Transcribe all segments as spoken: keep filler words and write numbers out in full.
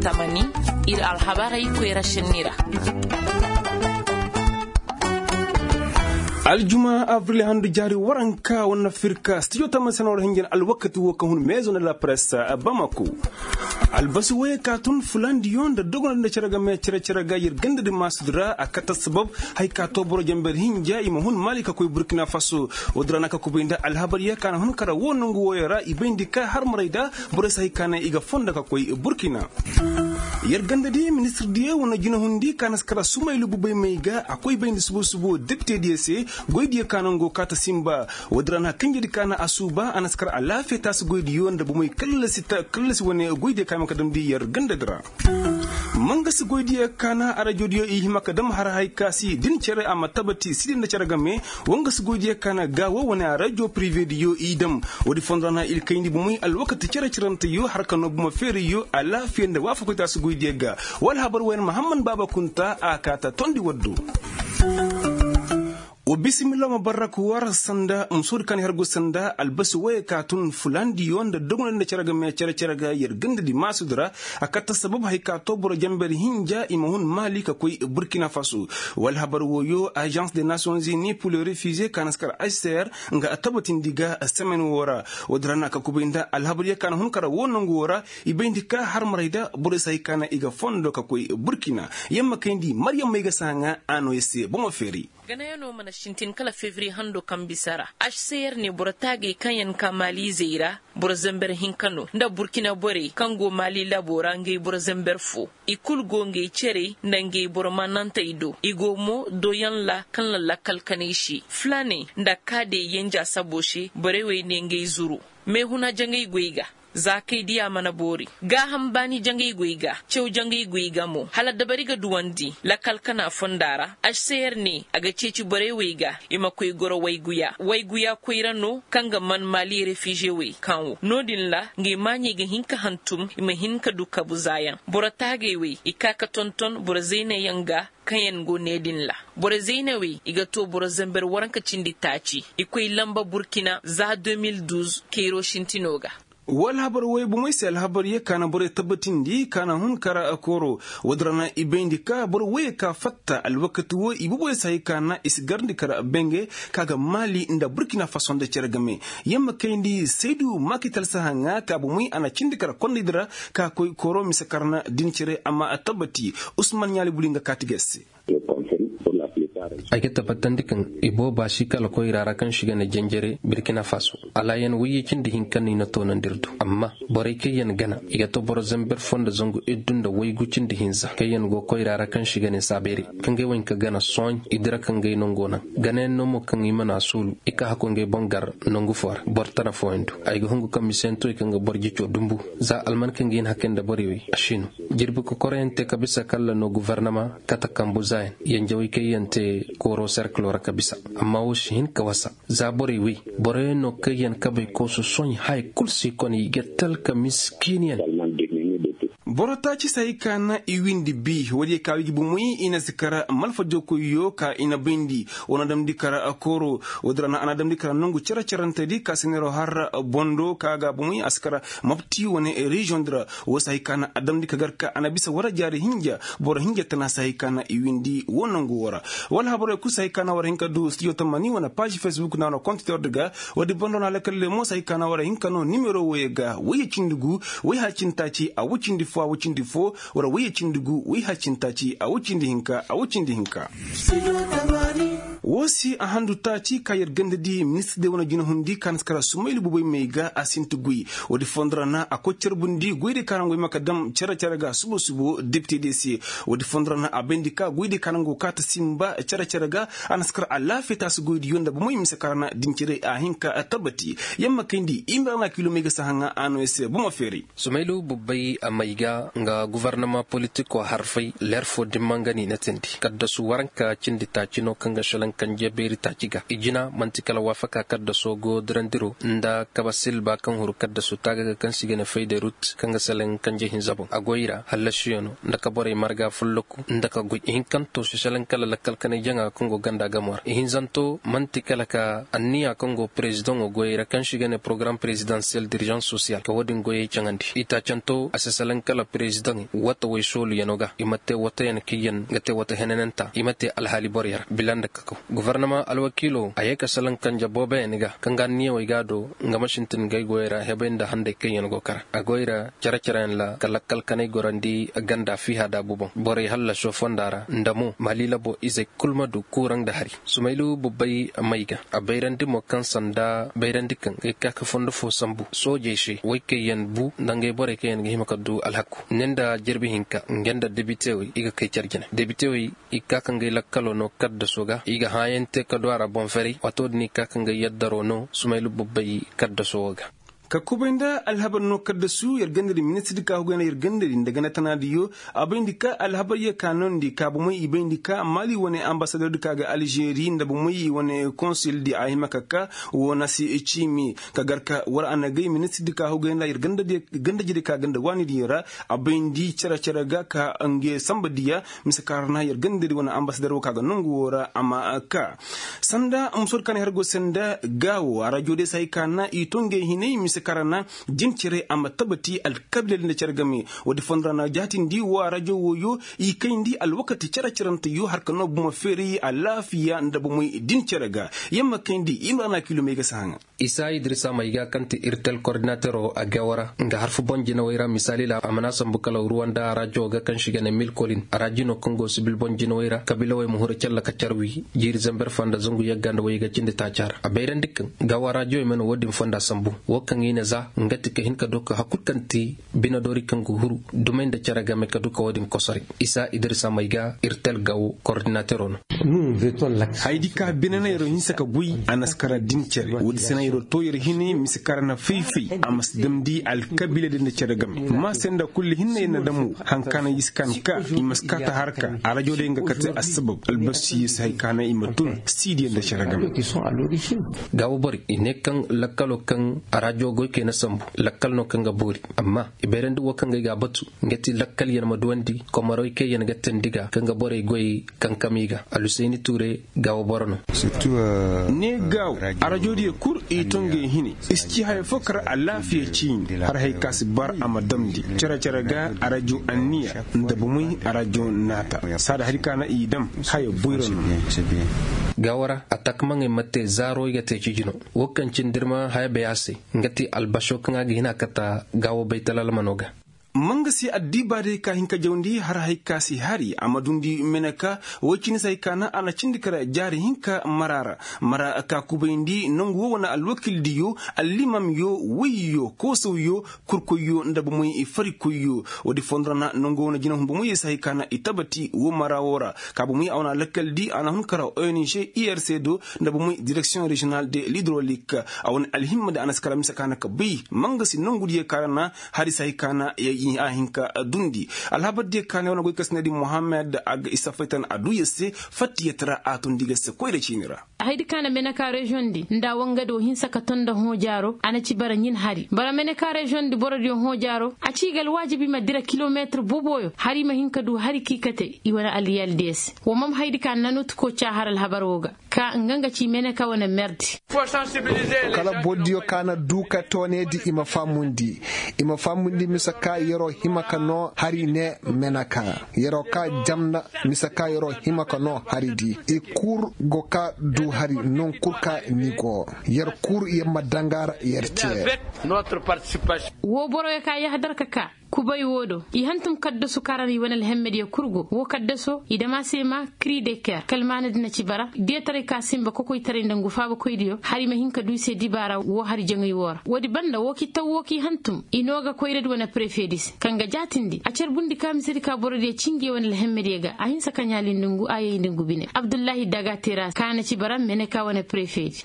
Tamani, ir alhabarey koyra šenni ra. Aljuma abril handu jaari waranka wane afirka stijo tamani sena war hinjin alwakati wo ka hun mezo nda la presse bamako. Albasi woyey ka tun fulandiyo nda dogonandi nda cere game cere cere ga yer gandadi maasudi ra a kate sabab haya ka to boro jamber hinja i ma hun maali ka koy burkina faso. Woodi ra na ka kubay nda alhabar yee ka na hun kara wo nongu woyey ra i bayndi ka harmarey da borey si hay ka naŋ i ga fondo ka koy burkina. Yer ganda di ministir diyo wane jinahundi ka na si kara sumaylu bubay may ga a koy bayndi subu subu depite diyo se. Goy diyo ka naŋ go kaata simba. Woodi ra na kanjedi ka na a suuba a na si kara alaafiya taasi goy diyo nda bumey kallasi wane goy diyo ka hima ka damndi yer ganda di ra. Mangasi goy diyo ka na arajo diyo i hima ka dam har hay ka si din cere a ma tabati sidi nda cere game. Wangasi goy diyo ka na gaawo wane arajo pirive diyo i dam. Woodi fondo ra na ir kayndi bumey alwakati cere cerante yo har ka noo buma feeri yo alaafiya nda waafakoy taasi goy diyo ga. Wala habar wayan mahamman baaba kunta a kaata tondi waddo. Wa bisimilla ma barrak war sanda musoodi ka na her go sanda albasi woyey ka tun fulandiyo nda dogonandi nda cere game cere cere ga yer gandadi maasudi ra. A katta sabab hay ka to boro jamber hinja i ma hun maali ka koy burkina faso. Wala habar woyo agence de nations unis pour le refugee ka na si kar hcr nga a tabatindi ga semaine wo ra. Woodi ra na ka kubay nda alhabar yee ka na hun kara wo nongu wo ra. I bayndi ka harmarey da borey si hay ka na i ga fondo ka koy burkina. Yamma kayndi maryam may ga si haŋa a no yer se bomo feeri. Ganayanoo mana sintin kala fevriye hando kaŋ bisa ra. Hcr ne boro taagey kaŋ yaŋ ka maaliizey ra boro zember hinka no nda burkina borey kaŋ go maali labo ra ngey boro zember fo. I kul go ngey cerey nda ngey boro maanantey do i go mo doyaŋ ra kaŋ na lakkal kanay se fulaaney nda kaadey yenja sabo se borey wey ne ngey zuru. Meehuna jangey goy ga. Za kay diya mana boori. Gaaham baani jangey goy ga caw jangey goy ga mo hala dabari ga duwandi lakal kana fonda ra. Hcr ne a ga ceeci borey wey ga i ma koy goro wayguya wayguya koyra no kaŋ ga man maali refize wey kaŋ wo no- din ra. Ngey maaɲey ga hin ka hantum i ma hin ka du kabu zaayaŋ boro taagey wey i ka ka tonton boro zaynayaŋ ga. Kaŋ yaŋ go ne din ra boro zaynawey i ga to boro zamber waranka cindi taaci i koy lamba burkina za deux mille douze kayro sintino ga. Wala habar woy bomey se alhabar ye ka na borey tabbatindi ka na hun kara kooro. Woodi ra na i bayndi ka boro woyey ka fatta alwakati wo i boboy se hay ka na i si garndi kara benge ka ga maali nda burkina faso nda cere game. Yer ma kayndi saydu makital sahaŋa ka bomey a na cindi kara kondaydi ra ka koy kooro mise kara na din cere amma a tabbati. Usman ɲaali buli nga kaati ga se. Ay ga tabbatandi kaŋ i booba si kala koyra ra kaŋ si ga ne janjare burkina faso. Alaayan wayye cindi hinka no i na toonandi ir do amma borey kaŋ yaŋ gana i ga to boro zamber fo nda zangu iddu nda waygu cindi hinza kaŋ yaŋ go koyra ra kaŋ si ga ne saabeeri kaŋ ga ay waŋ ka gana sooɲ i dira ka ngey nango naŋ. Ganayaŋ no mo kaŋ i mana soolu i ka hakku ngey boŋ gar nangu fo ra boro tana fooyaŋ do. Ay ga hungu kaŋ miseyaŋ to i kaŋ ga boro jico dumbu za alman kaŋ ga hin hakay nda borey wey a si no. Jirbi kokoroyaŋ te ka bisa kalla no gofornama kate kambu zaayaŋ yanjawey kaŋ yaŋ te kooro serkilo ra ka bisa. Amma wo si hin ka wasa za borey wey boroyaŋ no kaŋ yaŋ kabey koosu sohõ haya kul si kone i ga talka miskiiniyaŋ. Boro taaci se hay ka na i windi bi woodiyo ka wigi bomoy i na si kara malfajokoyyo ka i na bayndi. Wo na damndi kara kooro woodi ra na a na damndi kara nongu cere-cerentedi ka sineero har bondo ka ga bomoy a si kara mapti wane reziyoŋ di ra. Wo se hay ka na a damndi ka gar ka a na bisa wara jaari hinja boro hinja tana se hay ka na i windi wo nongu wo ra. Wala habarey kul se hay ka na war hin ka du stijo tamani wane paazi fesbuk na wane kontitor di ga. Woodi bondo na lakkal lemo se hay ka na war hin ka no nimero woyey ga woyye cindi gu woy hala cindi taaci a woy cindi fo a woy cindi fo. Wala woyye cindi gu woy hala cindi taaci a woy cindi hinka a woy cindi hinka. Wo se a handu taaci ka yer ganda di ministir de wane jinahundi ka na si kara sumaylu bubay may ga a sinti guy. Woodi fondo ra na a koy carbundi goydiyo ka naŋ go hima ka dam cere-cere ga subo-subo depite diyo se. Woodi fondo ra na a bayndi ka goydiyo ka naŋ go kaata simba cere-cere ga. A na si kara alaafiya taasi goydiyo nda bomoy mise ka ra na din cere a hin ka tabbati. Yer ma kayndi i ma ra na kiilomey ga si haŋa a no yer se bomo feeray. Sumaylu bubbay a may ga nga gofornama politiko harfay leer fo dimma nga no i na tindi kaddasu waranka cindi taaci no kaŋ ga šelaŋ. kanje beeri taaci ga i jina man'ti kala waafaka kaddaso go dirandiro nda kaba silba kaŋ huru kaddaso taaga ga kaŋ se i ga ne fayda rut kaŋ ga salaŋ kanje hinza boŋ a goy ra hallasiyaŋo nda ka borey marga folloku nda ka goy ihinkanto si salaŋ kala lakkal kanay jaŋa kaŋ go ganda gamo ra ihinzanto man'ti kala ka anniya kaŋ go perezidaŋo goyey ra kaŋ se i ga ne porogaram perezidansiyel dirizans sosiyal ka wo-din goyey caŋandi itaacanto a si salaŋ kala perezidaŋey wata way sooluyaŋo ga i ma te watayaŋ kaŋ yaŋ ga te wata henananta i ma te alhaali borey ra bila nda kakaw gofornama alwakiilo a ye ka salaŋ kanje booboyaŋ ga kaŋ ga anniyawey ga a do nga ma sintin gay goyey ra hebey nda handey kaŋ yaŋ go kara a goy ra cere-cereyaŋ ra ka lakkal kanay gorandi ganda fiiha daabu boŋ borey hallaso fonda ra nda mo maali labo izey kul ma du kuuraŋ nda hari sumaylu bubbay may ga a bayrandi mo kaŋ sanda bayrandi kaŋ ga ay ka ka fondo fo sambu soojey se way kaŋ yaŋ bu nda ngey borey kaŋ yaŋ ga hima ka du alhaku ne nda jirbi hinka nga nda debitewey i ga kay care jine debitewey i ga ka ka ngey lakkalo no kaddaso ga i ga hãayaŋ te ka du a ra boŋ ferey waato din i ga ka ka ngey yaddaro no sumaylu bubbay kaddaso wo ga ka kubay nda alhabar no kaddasu yer gandadi ministirdi ka hugay nda yer gandadi nda ganda tanaadiyo a bayndi ka alhabaryo ka noondi ka bomey i bayndi ka maali wane ambasadordi ka ga alžeri nda bomey i wane konsildi a hima ka ka wo na si ciimi ka gar ka war a na gay ministirdi ka hugay nda yer gandajidi ka ganda waanidiyo ra a bayndi cere-cere ga ka nge samba diya mise ka ra na yer gandadi wane ambasador wo ka ga nongu wo ra a ma ka sanda musoodi ka na her go se nda gaawo arajo day se hay ka na i to ngey hinay mise ka ra na din cere a ma tabati alkabiila din da cere game woodi fondo ra na jaatindi wo arajo wooyo i kayndi alwakati cere-cerante yo har ka no bomo feeri alaafiya nda bomey din cere ga yer ma kayndi yer ma ra na kiilomey ga si haŋa isa idrisa mayga kaŋ ti irtel kordinatero a gawo ra nga harfu boŋ jinawey ra misaali ra a mana sambu kala ruwanda arajo ga kaŋ si ga ne mil kolin araji no kaŋ go sibil boŋ jinawey ra kabiilawey ma huru calla ka carwi jiiri zamber fanda zangu yagga nda wayga cindi taaca ra a bayrandi kaŋ gawo arajo i mana wo-din fonda sambu wo kaŋ i na za nga ti ka hin ka do ka hakul kaŋ ti bine doori kaŋ ga huru dumey nda cere game ka du ka wo-din kosoray isa idrisa mayga irtel gawo kordinatero no hayadi ka bine na yer hinsa ka goy a na si kara din cere woodi se na yer to yer hine mise kara na fay-fay a ma si damndi alkabiila din nda cere game ma se nda kulli hinne yer na damu haŋ ka na i si ka na ka i ma si ka ta harka arajo day nga kate assabab albasi yer si hay ka na i ma tun siidiya nda cere game gaawo borey i ne kaŋ lakkalo kaŋ arajo goykey na sambu lakkal no kaŋ ga boori amma i bayrandi wo kaŋ ga ay ga a batu nga ti lakkal yer ma duwandi komaroy kaŋ yer ga teendi ga kaŋ ga borey goyey kankam i ga alhusayni tuure gaawo boro no ne gaawo arajoodiyo kul i to ngey hine i si ci haya fo kar alaafiya ciini har hay ka si bar a ma damndi cere-cere ga arajo anniya nda bomey arajo naata saada hari ka na i dam haya boyro no gaawo ra a takamaŋey ma te zaaro i ga te ciji no wo kaŋ cindi ir ma haya bay a se nga ti albaso kaŋ a ga hin a kata gaawo baytal almano ga mangasi addiibaadey ka hin ka jawndi har hay ka si hari a ma dundi meneka woy cindi se hay ka na a na cindi kara jaari hinka mara ra mara ka kubayndi nangu wo wane alwakildiyo allimamyo woyyo koosawyo kurkoyyo nda bomey farikoyyo woodi fondo ra na nangu wo wane jinahun bomey se hay ka na i tabati wo mara wo ra ka bomey a wane alakkaldi a na hun kara ong irc do nda bomey direksiyoŋ rejiyonal de lidrolik a wane alhimmadi a na si kara mise ka na ka bay mangasi nangudiyo ka ra na hari se hay ka na a hin ka dundi alhabardiyo ka na yer wane goy ka si ne di muhammad a ga isa faytan a du yer se fattiyat ra a tundi ga se koyra ciini ra haydi ka na meneka reziyoŋ di nda wangado hinsa ka ton nda hõ jaaro a na ci bara ɲin hari bara meneka reziyoŋ di borodiyo hõ jaaro a ci i ga alwaajibi ma dira kilometir boboyo hari ma hin ka du hari ka i kate i wane aliyaldiyo se wo mam haydi ka na nutuko ca har alhabar wo ga ka nga nga ci meneka wane merdi kala bordiyo ka na du ka toonedi i ma faamundi i ma faamundi mise ka yer'o hima ka noo hari ne meneka yer'o ka jamna mise ka yer'o hima ka noo hari di i kul go ka du hari non kul ka ni go yer kul yer ma danga ra yer cee wo boroyo ka yahadar ka ka kubay wo do i hantum kaddasu karan i wane alhemmediyo kul go wo kaddaso i dam a se ma kri de ker kalmaanadi na ci bara deetaray ka sinba kokoytaray nda ngu faabakoydiyo hari ma hin ka du i se dibaara wo hari jaŋay wo ra woodi banda wo ki taw wo ki hantum i noo ga koyradi wane prefedi se kaŋ ga jaatindi a carbundi ka misedi ka borodiyo cinge wane alhemmediyo ga a hinsa ka ɲaalindi ngu a yayndi ngu bine abdullahi daga tera ka na ci bara mene ka wane prefedi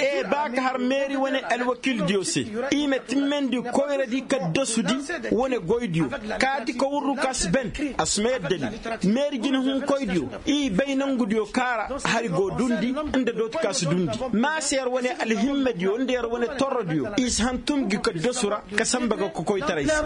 e ba ka har meeri wane alwakildiyo se i ma timmandi koyradi kaddasudi Wane goydiyo kaati ka wurru ka si ben, a si ma yadda ni. Meeri jinehunkoydiyo, i bay nangudiyo kaara hari go dundi nda dooti ka si dundi. Ma se yer wane alhimmediyo nda yer wane torrodiyo i si hantum gi ka dosu ra, ka samba ga kokoytaray se.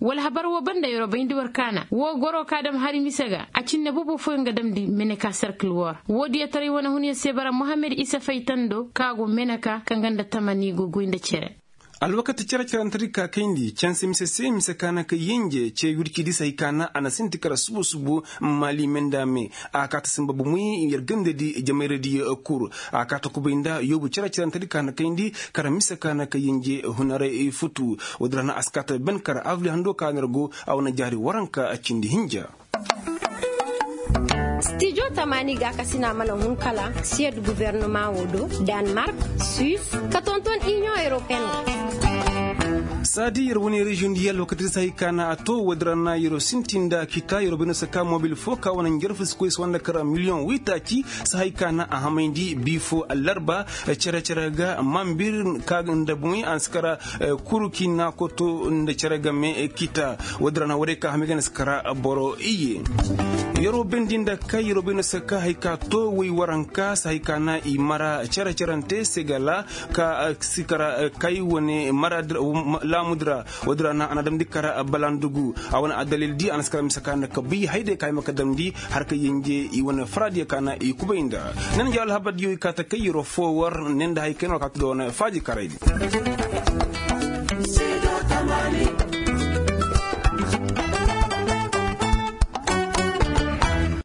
Wala habar woo banda yeroo bayndi war kaana woo goroo ka dam hari mise ga a cinne bobo fooyaŋ ga damndi meneka serkil woo ra. Woodiyo taray wane hunyaŋ se bara mohammed isa faytando ka go meneka kaŋ ga nda tamani go goy nda cere. Alwakati cere-cerentedi ka kayndi canse mise se mise ka na kay yenje ce wircidi se hay ka na a na sinti kara subu-subu. Maali me nda me a kaata sinba bumey yer gandadi jamayradi. Kul a kaata kubay nda yoobu cere-cerentedi ka na kayndi kara mise ka na kay yenje hunaray futu. Woodin ra na a si kaata ben kara avri hando ka na yer go a wane jaari waranka cindi hinja. Stijo tamaani gaakasina mana hun kala siyed guvernama woo do, danmark, suis, ka tonton iniyoŋ europeen. Saadi yer wane reziyoŋ diya alwakati sahay ka na a to woodin ra na yeroo sinti nda kita yeroo bay no si ka mobil foo ka wane njarfu si koy si wanda kara miliyoŋ waytaaci. Sahay ka na a hamayndi bii foo allarba cere-cere ga mambir ka nda boŋey a na si kara kuru kiina koto nda cere game kita. Woodin ra na woodey ka hamay ga na si kara boro iyye. Yeroo bendi nda kay yeroo bay no si ka hay ka to woy waranka si hay ka na i mara cere-cerante segala ka si kara kay wane mara laamudi ra. Woodin ra na a na damndi kara balandugu a wane addalil di a na si kara mise ka na ka bi hayday ka hima ka damndi har ka yenje i wane faradiyo ka na i kubay nda. Ne na nja alhabardiyo i kaa ta kay yeroo foo war ne nda hay kay no war kaa ta do wane faaji karaydi.